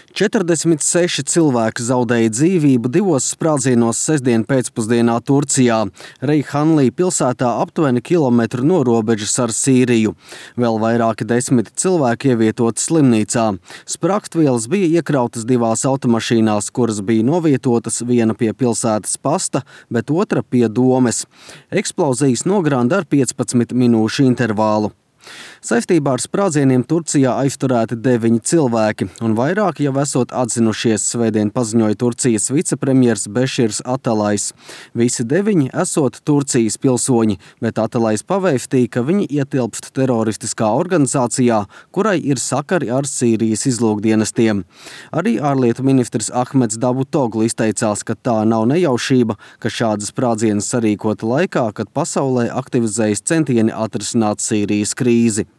46 cilvēki zaudēja dzīvību divos sprādzienos sestdien pēcpusdienā Turcijā, Reyhanlī pilsētā aptuveni kilometru no robežas ar Sīriju. Vēl vairāki desmit cilvēki ievietoti slimnīcā. Spragtvielas bija iekrautas divās automašīnās, kuras bija novietotas, viena pie pilsētas pasta, bet otra pie domes. Eksplozijas nogranda ar 15 minūšu intervālu. Saistībā ar sprādzieniem Turcijā aizturēti 9 cilvēki, un vairāki jau esot atzinušies, svētdien paziņoja Turcijas vicepremjers Beširs Atalais. Visi 9 esot Turcijas pilsoņi, bet Atalais pavēstīja, ka viņi ietilpst teroristiskā organizācijā, kurai ir sakari ar Sīrijas izlūkdienestiem. Arī ārlietu ministrs Ahmeds Davutoglu izteicās, ka tā nav nejaušība, ka šādas sprādzienas sarīkota laikā, kad pasaulē aktivizējas centieni atrisināt Sīrijas krīzi.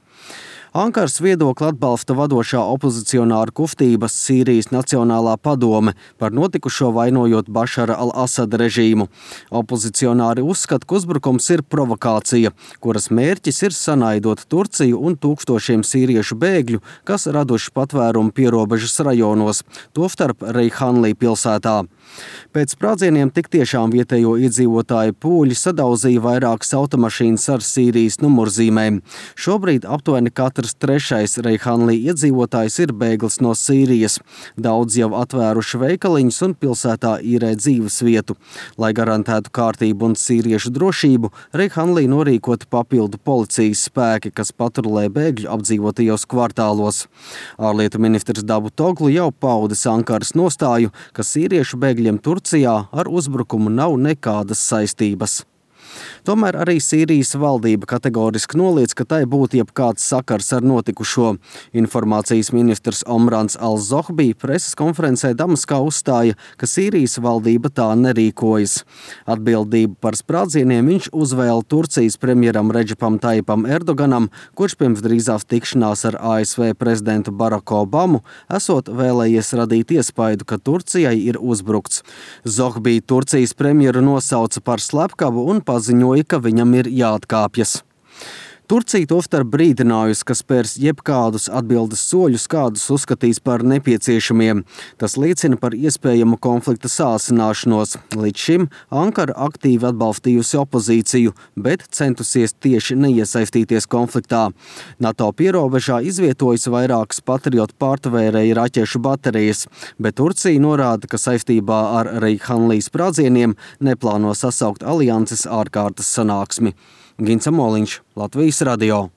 Ankaras viedokli atbalsta vadošā opozicionāra kustības Sīrijas Nacionālā padome, par notikušo vainojot Bašara al-Asada režīmu. Opozicionāri uzskata, ka uzbrukums ir provokācija, kuras mērķis ir sanaidot Turciju un tūkstošiem sīriešu bēgļu, kas raduši patvērumu pierobežas rajonos, tostarp Reyhanlī pilsētā. Pēc sprādzieniem tik tiešām vietējo iedzīvotāju pūļi sadauzīja vairākas automašīnas ar Sīrijas numurzīmēm. Šobrīd aptuveni katrs trešais Reyhanlī iedzīvotājs ir bēglis no Sīrijas. Daudz jau atvēruši veikaliņus un pilsētā īrē dzīves vietu. Lai garantētu kārtību un sīriešu drošību, Reyhanlī norīkoti papildu policijas spēki, kas patrulē bēgļu apdzīvotajos kvartālos. Ārlietu ministrs Davutoglu jau paudis Ankaras nostāju, ka sīriešu bēgļiem Turcijā ar uzbrukumu nav nekādas saistības. Tomēr arī Sīrijas valdība kategoriski noliedz, ka tai būtu jebkāds sakars ar notikušo. Informācijas ministrs Omrans al-Zohbi preses konferencē Damaskā uzstāja, ka Sīrijas valdība tā nerīkojas. Atbildību par sprādzieniem viņš uzvēla Turcijas premjeram Redžepam Tayyipam Erdoganam, kurš pirms drīzās tikšanās ar ASV prezidentu Baraku Obamu esot vēlējies radīt iespaidu, ka Turcijai ir uzbrukts. Zohbi Turcijas premjeru nosauca par slepkavu un paziņoja, ka viņam ir jāatkāpjas. Turcija tostarp brīdinājusi, ka spērs jebkādus atbildes soļus, kādus uzskatīs par nepieciešamiem. Tas liecina par iespējamu konflikta sāsināšanos. Līdz šim Ankara aktīvi atbalstījusi opozīciju, bet centusies tieši neiesaistīties konfliktā. NATO pierobežā izvietojas vairākas patriotu pārtvērēju raķešu baterijas, bet Turcija norāda, ka saistībā ar Reyhanlī sprādzieniem neplāno sasaukt alianses ārkārtas sanāksmi. Gins Amoliņš, Latvijas radio.